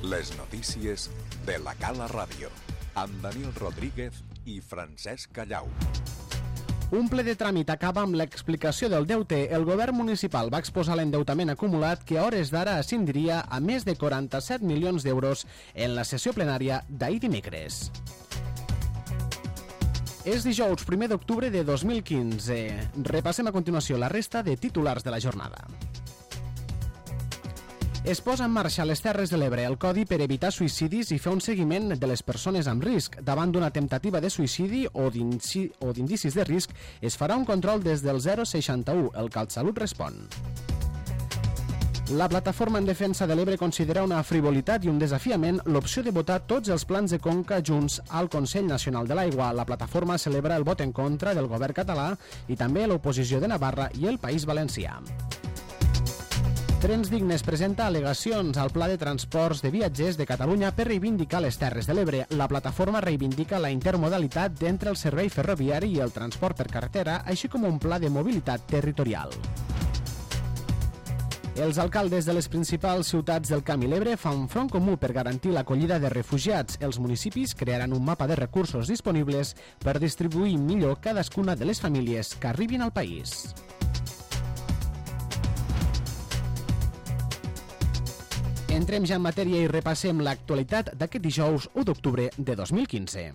Les notícies de la Cala Ràdio, amb Daniel Rodríguez i Francesc Callau. Un ple de tràmit acaba amb l'explicació del deute. El govern municipal va exposar l'endeutament acumulat que a hores d'ara ascendiria a més de 47 milions d'euros en la sessió plenària d'ahir dimecres. És dijous 1 d'octubre de 2015. Repassem a continuació la resta de titulars de la jornada. Es posa en marxa a les Terres de l'Ebre el codi per evitar suïcidis i fer un seguiment de les persones amb risc. Davant d'una temptativa de suïcidi o d'indicis de risc, es farà un control des del 061. El CatSalut respon. La plataforma en defensa de l'Ebre considera una frivolitat i un desafiament l'opció de votar tots els plans de conca junts al Consell Nacional de l'Aigua. La plataforma celebra el vot en contra del govern català i també l'oposició de Navarra i el País Valencià. Trens Dignes presenta al·legacions al Pla de Transports de Viatgers de Catalunya per reivindicar les Terres de l'Ebre. La plataforma reivindica la intermodalitat entre el servei ferroviari i el transport per carretera, així com un pla de mobilitat territorial. Els alcaldes de les principals ciutats del Camp i l'Ebre fan front comú per garantir l'acollida de refugiats. Els municipis crearan un mapa de recursos disponibles per distribuir millor cadascuna de les famílies que arribin al país. Entrem ja en matèria i repassem l'actualitat d'aquest dijous 1 d'octubre de 2015.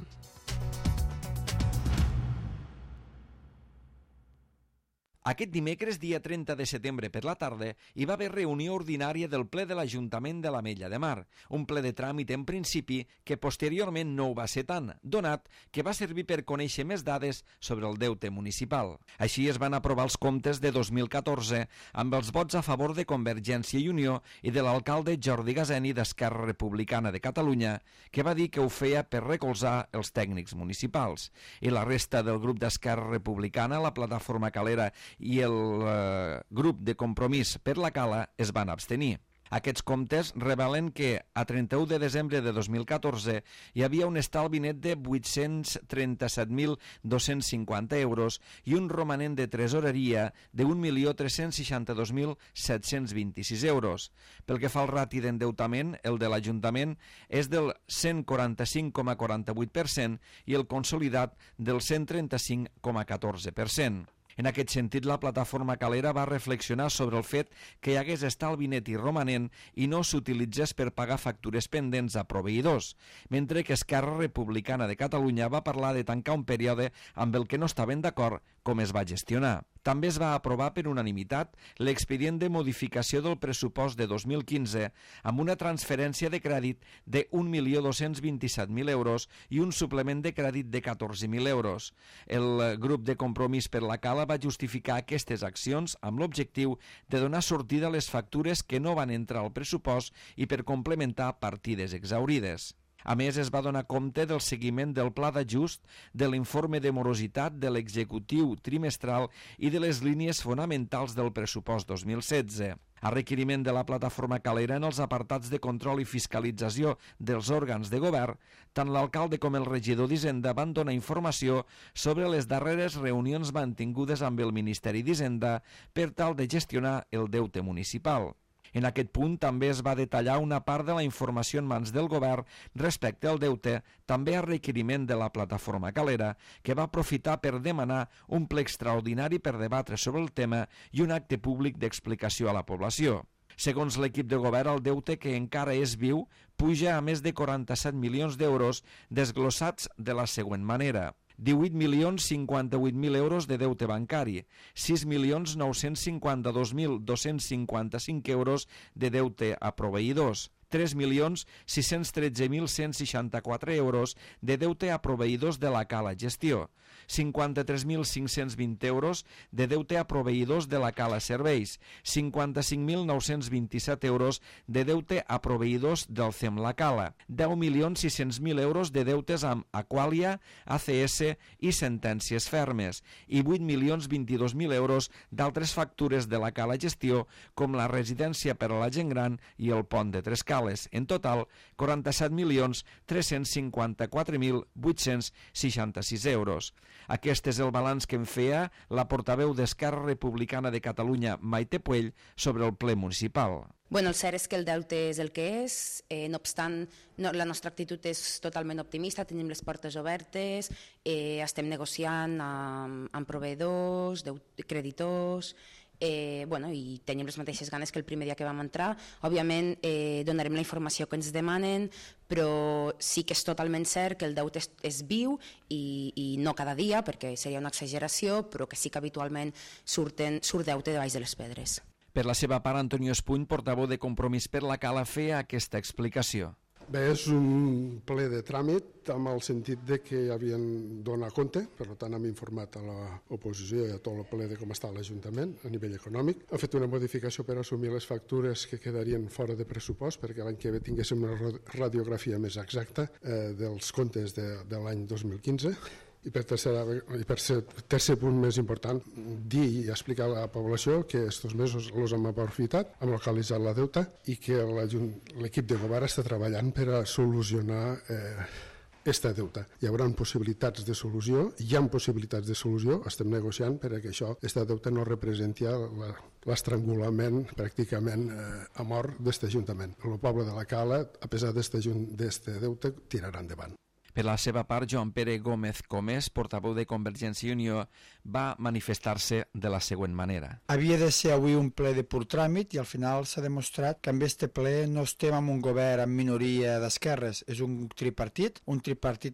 Aquest dimecres, dia 30 de setembre per la tarda, hi va haver reunió ordinària del ple de l'Ajuntament de l'Ametlla de Mar, un ple de tràmit en principi que posteriorment no ho va ser tant, donat que va servir per conèixer més dades sobre el deute municipal. Així es van aprovar els comptes de 2014 amb els vots a favor de Convergència i Unió i de l'alcalde Jordi Gaseni d'Esquerra Republicana de Catalunya, que va dir que ho feia per recolzar els tècnics municipals. I la resta del grup d'Esquerra Republicana, la plataforma calera i el grup de Compromís per la Cala es van abstenir. Aquests comptes revelen que a 31 de desembre de 2014 hi havia un estalvi net de 837.250 euros i un romanent de tresoreria de 1.362.726 euros. Pel que fa al rati d'endeutament, el de l'Ajuntament és del 145,48% i el consolidat del 135,14%. En aquest sentit, la plataforma calera va reflexionar sobre el fet que hi hagués estalvi net i romanent i no s'utilitzés per pagar factures pendents a proveïdors, mentre que Esquerra Republicana de Catalunya va parlar de tancar un període amb el que no estaven d'acord com es va gestionar. També es va aprovar per unanimitat l'expedient de modificació del pressupost de 2015 amb una transferència de crèdit de 1.227.000 euros i un suplement de crèdit de 14.000 euros. El grup de Compromís per la Cala va justificar aquestes accions amb l'objectiu de donar sortida a les factures que no van entrar al pressupost i per complementar partides exhaurides. A més, es va donar compte del seguiment del pla d'ajust, de l'informe de morositat, de l'executiu trimestral i de les línies fonamentals del pressupost 2016. A requeriment de la plataforma calera, en els apartats de control i fiscalització dels òrgans de govern, tant l'alcalde com el regidor d'Hisenda van donar informació sobre les darreres reunions mantingudes amb el Ministeri d'Hisenda per tal de gestionar el deute municipal. En aquest punt també es va detallar una part de la informació en mans del govern respecte al deute, també a requeriment de la plataforma calera, que va aprofitar per demanar un ple extraordinari per debatre sobre el tema i un acte públic d'explicació a la població. Segons l'equip de govern, el deute, que encara és viu, puja a més de 47 milions d'euros, desglossats de la següent manera. 18.058.000 euros de deute bancari, 6.952.255 euros de deute a proveïdors, 3.613.164 euros de deute a proveïdors de la Cala Gestió, 53.520 euros de deute a proveïdors de la Cala Serveis, 55.927 euros de deute a proveïdors del CEM La Cala, 10.600.000 euros de deutes amb Aqualia, ACS i sentències fermes i 8.022.000 euros d'altres factures de la Cala Gestió com la residència per a la gent gran i el pont de Trescala. totales. En total, 47.354.866 euros. Aquest és el balanç que en feia la portaveu d'Esquerra Republicana de Catalunya, Maite Puell, sobre el ple municipal. Bueno, el cert és que el deute és el que és, no obstant, la nostra actitud és totalment optimista, tenim les portes obertes, estem negociant amb proveïdors, creditors, i tenim les mateixes ganes que el primer dia que vam entrar. Òbviament donarem la informació que ens demanen, però sí que és totalment cert que el deute és viu i no cada dia, perquè seria una exageració, però que sí que habitualment surt deute de baix de les pedres. Per la seva part, Antonio Espuny, portaveu de Compromís per la Cala, feia aquesta explicació. Bé, és un ple de tràmit amb el sentit de que havien donat compte, per tant hem informat a l'oposició i a tot el ple de com està l'Ajuntament a nivell econòmic. Ha fet una modificació per assumir les factures que quedarien fora de pressupost perquè l'any que ve tinguéssim una radiografia més exacta dels comptes de l'any 2015. I per tercer punt més important, dir i explicar a la població que aquests mesos els hem aprofitat, hem localitzat la deuta i que l'equip de govern està treballant per a solucionar aquesta deuta. Hi haurà possibilitats de solució, hi ha possibilitats de solució, estem negociant per a que aquesta deuta no representi l'estrangulament pràcticament a mort d'aquest Ajuntament. El poble de la Cala, a pesar d'aquest deute, tirarà endavant. Per la seva part, Joan Pere Gómez Comés, portaveu de Convergència i Unió, va manifestar-se de la següent manera. Havia de ser avui un ple de pur tràmit i al final s'ha demostrat que amb este ple no estem amb un govern amb minoria d'esquerres, és un tripartit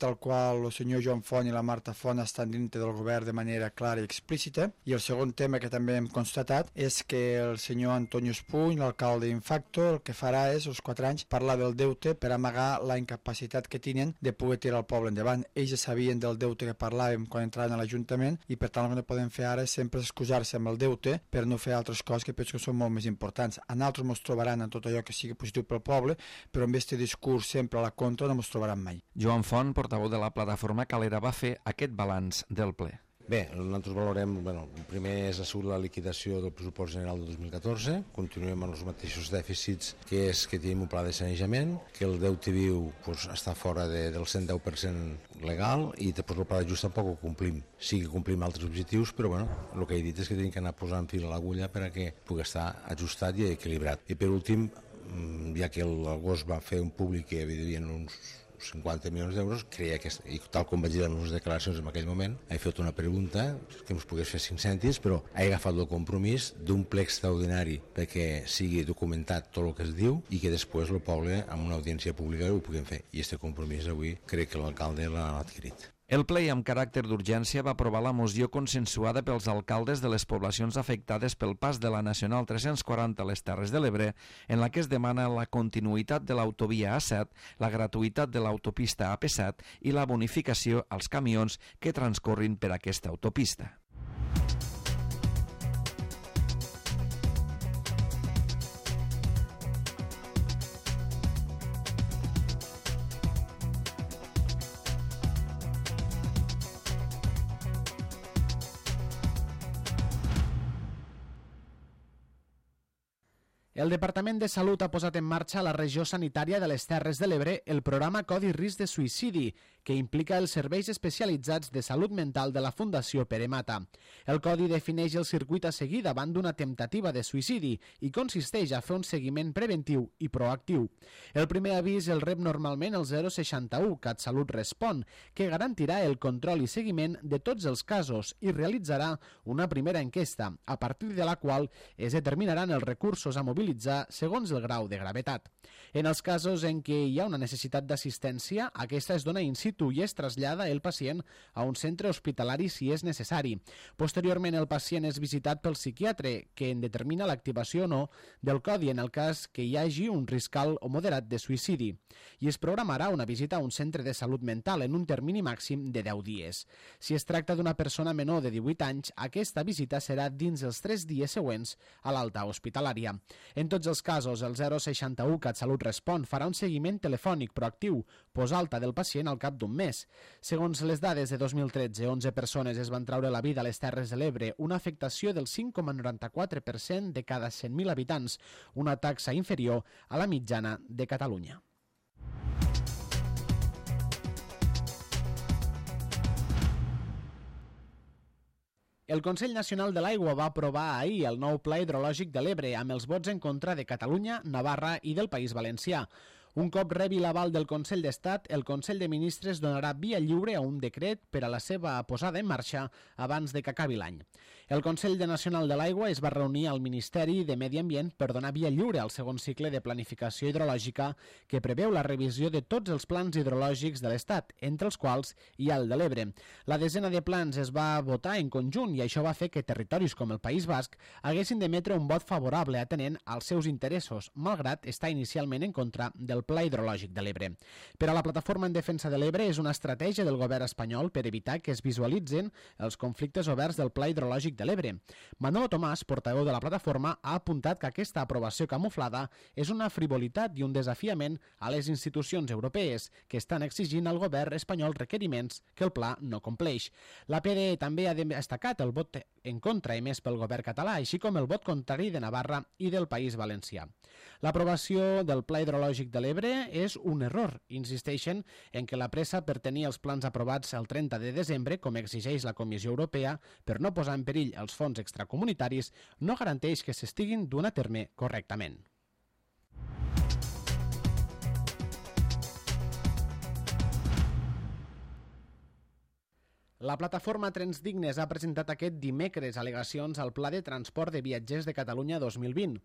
al qual el senyor Joan Font i la Marta Font estan dintre del govern de manera clara i explícita. I el segon tema que també hem constatat és que el senyor Antonio Espuny, l'alcalde Infacto, el que farà és, als 4 anys, parlar del deute per amagar la incapacitat que tenen de poder tirar el poble endavant. Ells ja sabien del deute que parlàvem quan entraven a l'Ajuntament i per tant el que no podem fer ara és sempre excusar-se amb el deute per no fer altres coses que penso que són molt més importants. A nosaltres ens trobaran en tot allò que sigui positiu pel poble, però amb aquest discurs sempre a la contra no ens trobaran mai. Joan Font, portaveu de la plataforma Calera, va fer aquest balanç del ple. Bé, nosaltres valorem, el primer és la liquidació del pressupost general de 2014, continuem amb els mateixos dèficits que tenim un pla de sanejament, que el deute viu està fora del 110% legal i després el pla d'ajust tampoc ho complim. Sí que complim altres objectius, però el que he dit és que tenim que anar posant fil a l'agulla perquè pugui estar ajustat i equilibrat. I per últim, ja que l'agost va fer un públic que hi havia uns 50 milions d'euros, creia que, i tal com vaig dir en les declaracions en aquell moment, he fet una pregunta que ens pogués fer 5 cèntims, però he agafat el compromís d'un ple extraordinari perquè sigui documentat tot el que es diu i que després el poble, amb una audiència pública, ho puguem fer. I aquest compromís avui crec que l'alcalde l'ha adquirit. El ple amb caràcter d'urgència va aprovar la moció consensuada pels alcaldes de les poblacions afectades pel pas de la Nacional 340 a les Terres de l'Ebre, en la que es demana la continuïtat de l'autovia A7, la gratuïtat de l'autopista AP7 i la bonificació als camions que transcorrin per aquesta autopista. El Departament de Salut ha posat en marxa a la regió sanitària de les Terres de l'Ebre el programa Codi Risc de Suïcidi, que implica els serveis especialitzats de salut mental de la Fundació Pere Mata. El codi defineix el circuit a seguir davant d'una temptativa de suïcidi i consisteix a fer un seguiment preventiu i proactiu. El primer avís el rep normalment el 061 CatSalut Respon, que garantirà el control i seguiment de tots els casos i realitzarà una primera enquesta, a partir de la qual es determinaran els recursos a mobilitzar segons el grau de gravetat. En els casos en què hi ha una necessitat d'assistència, aquesta es dona in situ i es trasllada el pacient a un centre hospitalari si és necessari. Posteriorment, el pacient és visitat pel psiquiatre, que en determina l'activació o no del codi en el cas que hi hagi un risc alt o moderat de suïcidi. I es programarà una visita a un centre de salut mental en un termini màxim de 10 dies. Si es tracta d'una persona menor de 18 anys, aquesta visita serà dins els 3 dies següents a l'alta hospitalària. En tots els casos, el 061 CatSalut Respon farà un seguiment telefònic proactiu post-alta del pacient al cap d'un mes. Segons les dades de 2013, 11 persones es van traure la vida a les Terres de l'Ebre, una afectació del 5,94% de cada 100.000 habitants, una taxa inferior a la mitjana de Catalunya. El Consell Nacional de l'Aigua va aprovar ahir el nou Pla Hidrològic de l'Ebre amb els vots en contra de Catalunya, Navarra i del País Valencià. Un cop rebi l'aval del Consell d'Estat, el Consell de Ministres donarà via lliure a un decret per a la seva posada en marxa abans de que acabi l'any. El Consell Nacional de l'Aigua es va reunir al Ministeri de Medi Ambient per donar via lliure al segon cicle de planificació hidrològica que preveu la revisió de tots els plans hidrològics de l'Estat, entre els quals hi ha el de l'Ebre. La desena de plans es va votar en conjunt i això va fer que territoris com el País Basc haguessin d'emetre un vot favorable atenent als seus interessos, malgrat estar inicialment en contra del Pla Hidrològic de l'Ebre. Per a la Plataforma en Defensa de l'Ebre és una estratègia del govern espanyol per evitar que es visualitzin els conflictes oberts del Pla Hidrològic de l'Ebre. Manolo Tomàs, portaveu de la plataforma, ha apuntat que aquesta aprovació camuflada és una frivolitat i un desafiament a les institucions europees que estan exigint al govern espanyol requeriments que el pla no compleix. La PDE també ha destacat el vot en contra emès pel govern català, així com el vot contrari de Navarra i del País Valencià. L'aprovació del Pla Hidrològic de l'Ebre és un error. Insisteixen en que la pressa per tenir els plans aprovats el 30 de desembre, com exigeix la Comissió Europea, per no posar en perill els fons extracomunitaris, no garanteix que s'estiguin duent a terme correctament. La plataforma Trens Dignes ha presentat aquest dimecres al·legacions al Pla de Transport de Viatgers de Catalunya 2020.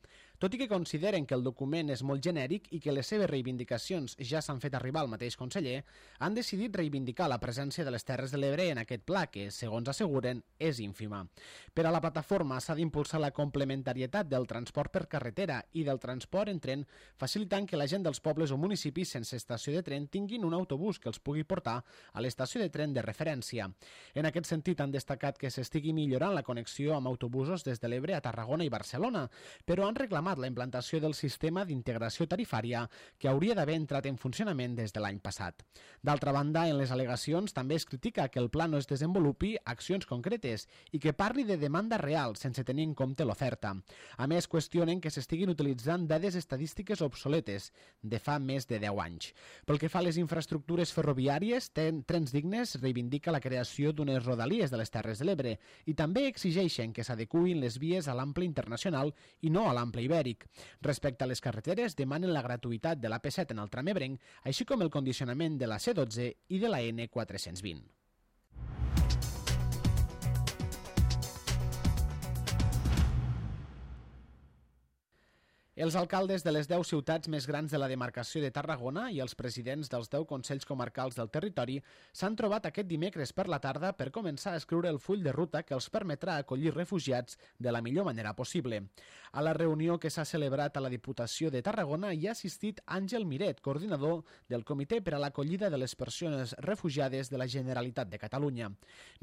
Tot i que consideren que el document és molt genèric i que les seves reivindicacions ja s'han fet arribar al mateix conseller, han decidit reivindicar la presència de les Terres de l'Ebre en aquest pla, que, segons asseguren, és ínfima. Per a la plataforma s'ha d'impulsar la complementarietat del transport per carretera i del transport en tren, facilitant que la gent dels pobles o municipis sense estació de tren tinguin un autobús que els pugui portar a l'estació de tren de referència. En aquest sentit, han destacat que s'estigui millorant la connexió amb autobusos des de l'Ebre a Tarragona i Barcelona, però han reclamat la implantació del sistema d'integració tarifària que hauria d'haver entrat en funcionament des de l'any passat. D'altra banda, en les al·legacions també es critica que el pla no es desenvolupi accions concretes i que parli de demanda real sense tenir en compte l'oferta. A més, qüestionen que s'estiguin utilitzant dades estadístiques obsoletes de fa més de 10 anys. Pel que fa a les infraestructures ferroviàries, Trens Dignes reivindica la creació d'unes rodalies de les Terres de l'Ebre i també exigeixen que s'adecuïn les vies a l'ample internacional i no a l'ample ibèric. Respecte a les carreteres, demanen la gratuïtat de l'AP7 en el tram ebrenc, així com el condicionament de la C12 i de la N420. Els alcaldes de les 10 ciutats més grans de la demarcació de Tarragona i els presidents dels 10 consells comarcals del territori s'han trobat aquest dimecres per la tarda per començar a escriure el full de ruta que els permetrà acollir refugiats de la millor manera possible. A la reunió que s'ha celebrat a la Diputació de Tarragona hi ha assistit Àngel Miret, coordinador del Comitè per a l'acollida de les persones refugiades de la Generalitat de Catalunya.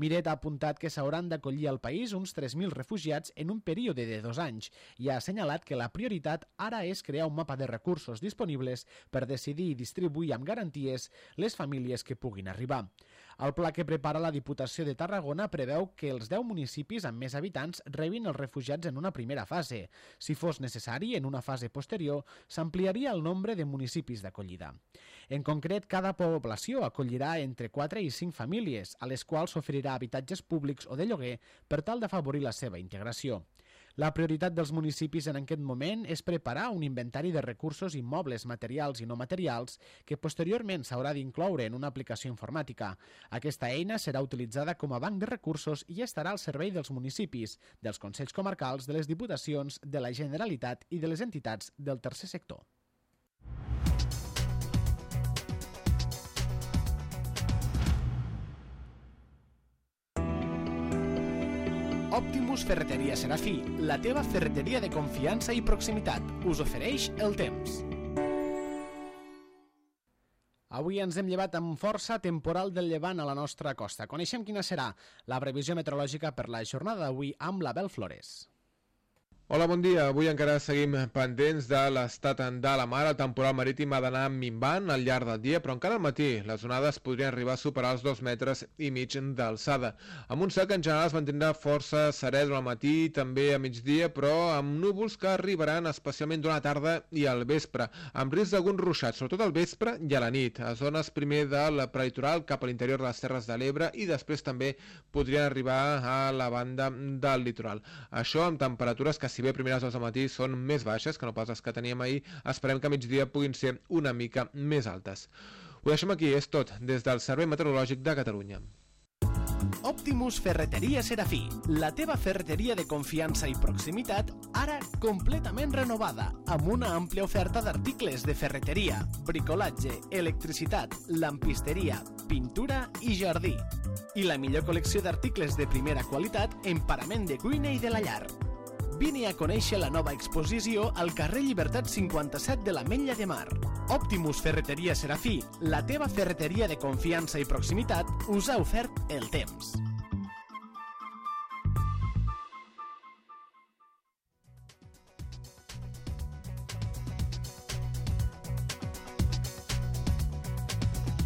Miret ha apuntat que s'hauran d'acollir al país uns 3.000 refugiats en un període de 2 anys i ha assenyalat que la prioritat ara és crear un mapa de recursos disponibles per decidir i distribuir amb garanties les famílies que puguin arribar. El pla que prepara la Diputació de Tarragona preveu que els 10 municipis amb més habitants rebin els refugiats en una primera fase. Si fos necessari, en una fase posterior, s'ampliaria el nombre de municipis d'acollida. En concret, cada població acollirà entre 4 i 5 famílies, a les quals s'oferirà habitatges públics o de lloguer per tal d'afavorir la seva integració. La prioritat dels municipis en aquest moment és preparar un inventari de recursos immobles, materials i no materials que posteriorment s'haurà d'incloure en una aplicació informàtica. Aquesta eina serà utilitzada com a banc de recursos i estarà al servei dels municipis, dels consells comarcals, de les diputacions, de la Generalitat i de les entitats del tercer sector. Optimus Ferreteria Serafí, la teva ferreteria de confiança i proximitat, us ofereix el temps. Avui ens hem llevat amb força temporal del llevant a la nostra costa. Coneixem quina serà la previsió meteorològica per la jornada d'avui amb l'Abel Flores. Hola, bon dia. Avui encara seguim pendents de l'estat de la mar. El temporal marítim ha d'anar minvant al llarg del dia, però encara al matí les onades podrien arribar a superar els 2,5 metres d'alçada. Amb un cel que en general es mantindrà força serè durant el matí, també a migdia, però amb núvols que arribaran especialment durant la tarda i al vespre, amb risc d'alguns ruixats, sobretot al vespre i a la nit, a zones primer del prelitoral cap a l'interior de les Terres de l'Ebre i després també podrien arribar a la banda del litoral. Això amb temperatures que, si bé a primeres hores del matí són més baixes que no pas les que teníem ahir, esperem que a migdia puguin ser una mica més altes. Ho deixem aquí, és tot, des del Servei Meteorològic de Catalunya. Optimus Ferreteria Serafí, la teva ferreteria de confiança i proximitat, ara completament renovada, amb una àmplia oferta d'articles de ferreteria, bricolatge, electricitat, lampisteria, pintura i jardí. I la millor col·lecció d'articles de primera qualitat en parament de cuina i de la llar. Vine a conèixer la nova exposició al carrer Llibertat 57 de l'Ametlla de Mar. Optimus Ferreteria Serafí, la teva ferreteria de confiança i proximitat, us ha ofert el temps.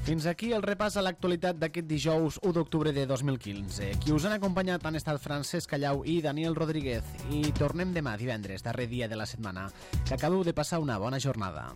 Fins aquí el repàs a l'actualitat d'aquest dijous 1 d'octubre de 2015. Qui us han acompanyat han estat Francesc Callau i Daniel Rodríguez. I tornem demà, divendres, darrer dia de la setmana. Que acabeu de passar una bona jornada.